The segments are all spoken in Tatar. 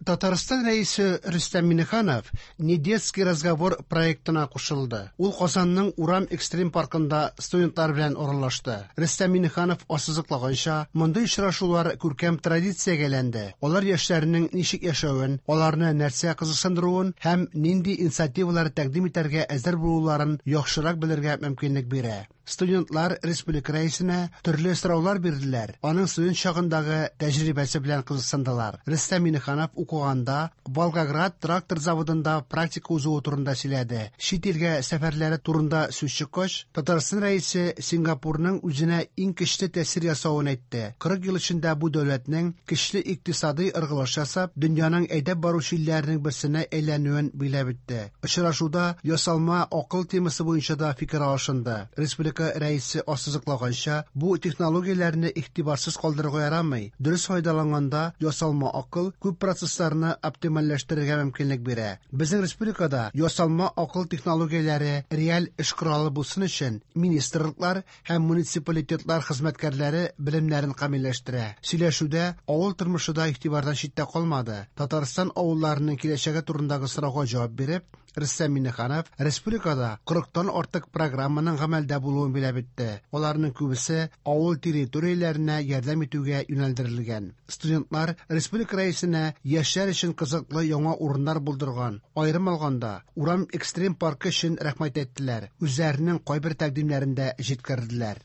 Татарстан Рәисе Рөстәм Миңнеханов «Не детский разговор» проектына кушылды. Ул Казанның Урам экстрим паркында студентлар белән аралашты. Рөстәм Миңнеханов ассызыклаганча, мондый очрашулар күркәм традициягә әйләнде. Алар яшьләрнең ничек яшәвен, аларны нәрсә кызыксындыруын һәм нинди инициативалар тәкъдим итәргә әзер булуларын яхшырак белергә мөмкинлек бирә. Студентлар республика Рәисенә төрле сораулар бирделәр, аның студент чагындагы тәҗрибәсе белән кызыксындылар. Рөстәм Миңнеханов укыганда Волгоград трактор заводында практика узуы турында сөйләде. Чит илгә сәфәрләре турында сүз чыккач, Татарстан Рәисе Сингапурның үзенә иң көчле тәэсир ясавын әйтте. 40 ел эчендә бу дәүләтнең көчле икътисадый ыргылыш ясап, дөньяның әйдәп баручы илләренең берсенә әйләнүен билгеләп үтте. Очрашуда ясалма акыл темасы буенча да фикер алышынды. Республика Рәисе ассызыклаганча, бу технологияләрне игътибарсыз калдырырга ярамый. Дөрес файдаланганда ясалма акыл күп процессларны оптимальләштерергә мөмкинлек бирә. Безнең республикада ясалма акыл технологияләре реаль эш коралы булсын өчен министрлыклар һәм муниципалитетлар хезмәткәрләре белемнәрен камилләштерә. Сөйләшүдә авыл тормышы да игътибардан читтә калмады. Татарстан авылларының киләчәге турындагы сорауга җавап биреп, Рөстәм Миңнеханов республикада 40тан артык программаның гамәлдә булуын билгеләп үтте. Аларның күбесе авыл территорияләренә ярдәм итүгә юнәлдерелгән. Студентлар республика Рәисенә яшьләр өчен кызыклы яңа урыннар булдырган, аерым алганда, Урам экстрим паркы өчен рәхмәт әйттеләр, үзләренең кайбер тәкъдимнәрен дә җиткерделәр.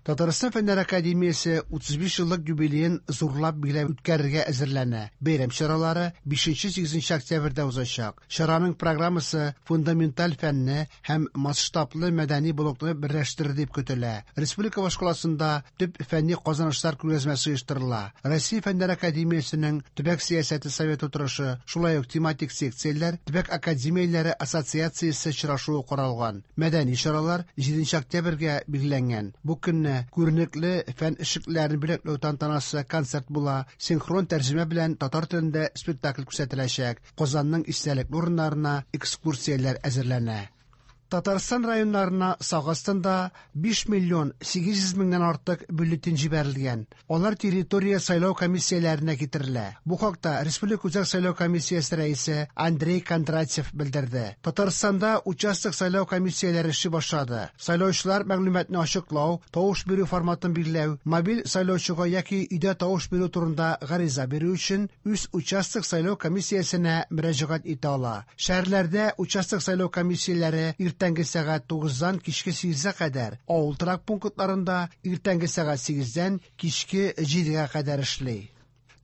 Татарстан Фәннәр академиясе 35 еллык юбилеен зурлап билгеләп үткәрергә әзерләнә. Бәйрәм чаралары 5-8 октябрьдә узачак. Чараның программасы фундаменталь фәнне һәм масштаблы мәдәни блокны берләштерер дип көтелә. Республика башкаласында төп фәнни казанышлар күргәзмәсе оештырыла. Россия Фәннәр академиясенең төбәк сәясәте советы утырышы, шулай ук тематик секцияләр, төбәк академияләре ассоциациясе очрашуы каралган. Мәдәни чаралар 7 октябрьгә билгеләнгән. Бу көнне күренекле фән эшлеклеләрен бүләкләү тантанасы, концерт була, синхрон тәрҗемә белән татар телендә спектакль күрсәтеләчәк. Казанның истәлекле урыннарына экскурсияләр әзерләнә. Татарстан районнарына сак астында 5 миллион 800 меңнән артык бюллетень җибәрелгән. Алар территория сайлау комиссияләренә китерелә. Бу хакта Республика Үзәк сайлау комиссиясе рәисе Андрей Кондратьев белдерде. Татарстанда участок сайлау комиссияләре эшли башлады. Сайлаучылар мәгълүматны ачыклау, тавыш бирү форматын билгеләү, мобиль сайлаучыга яки өйдә тавыш бирү турында гариза бирү өчен үз участок сайлау комиссиясенә мөрәҗәгать итә ала. Шәһәрләрдә участок сайлау комиссияләре иртәнге сәгать 9-дан кичке 8-гә кадәр, авыл торак пунктларында иртәнге сәгать 8-дән кичке 7-гә кадәр эшли.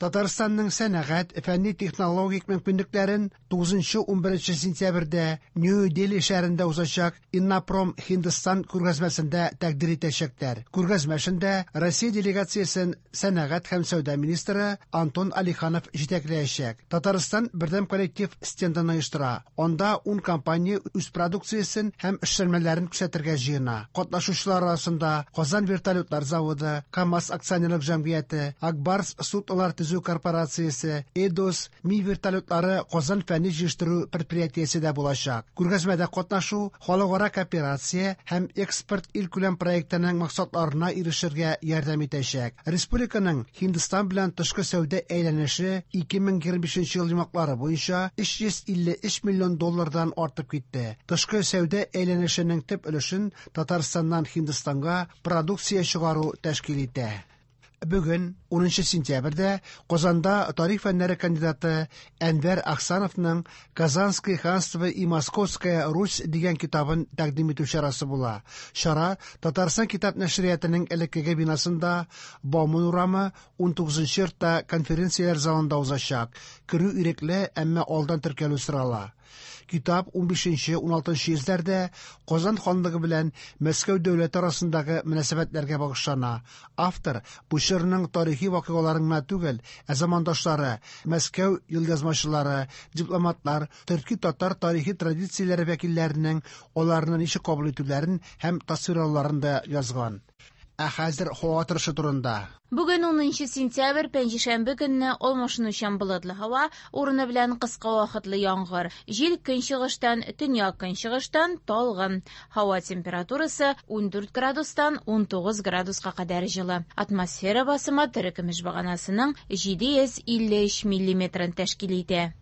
Татарстанның сәнәгать, фәнни-технологик мөмкинлекләрен 9-11 сентябрьдә Нью-Дели шәһәрендә узачак Иннопром Һиндстан күргәзмәсендә тәкъдир итәчәкләр. Күргәзмә эшендә Россия делегациясен сәнәгать һәм сәүдә министры Антон Алиханов җитәкләячәк. Татарстан бердәм коллектив стендын оештыра. Анда 10 компания үз продукциясен һәм эшләнмәләрен күрсәтергә җыена. Катнашучылар арасында Казан вертолетлар заводы, КАМАЗ акционерлык җәмгыяте, Акбарс суднолар төзү корпорациясе, Эдос, Ми вертолетлары Казан фәнни җыештыру предприятиесе дә булачак. Күргәзмәдә катнашу халыкара кооперация һәм экспорт илкүләм проектының максатларына ирешергә ярдәм итәчәк. Республиканың Һиндстан белән тышкы сәүдә әйләнеше 2025 ел йомгаклары буенча 353 миллион доллардан артып китте. Тышкы сәүдә әйләнешенең төп өлешен Татарстаннан Һиндстанга продукция чыгару тәшкил итә. Бүген, 10 сентябрьдә, Казанда тарих фәннәре кандидаты Әнвәр Ахсановның Казанское ханство и Московская Русь дигән китабын тәкъдим итү чарасы була. Чара Татарстан китап нәшриятының элеккеге бинасында Бауман урамы 19 йортта конференцияләр залында узачак. Керү ирекле, әмма алдан теркәлү сорала. Китап 15-16 йөзләрдә Казан ханлыгы белән Мәскәү дәүләте арасындагы мөнәсәбәтләргә багышлана. Автор бу чорның тарихи вакыйгаларын гына түгел, ә замандашлары, Мәскәү елъязмачылары, дипломатлар, төрки-татар тарихи традицияләре вәкилләренең аларны ничек кабул итүләрен һәм тасвирлауларын да язган. Ә хәзер һава торышы турында. Бүген 10 сентябрь, пәнҗешәмбе көнне алмашынучан болытлы һава, урыны белән кыска вакытлы яңгыр. Җил көнчыгыштан, төньяк-көнчыгыштан талгын. Һава температурасы 14 градустан 19 градуска кадәр җылы. Атмосфера басымы терекөмеш баганасының 753 миллиметрын тәшкил итә.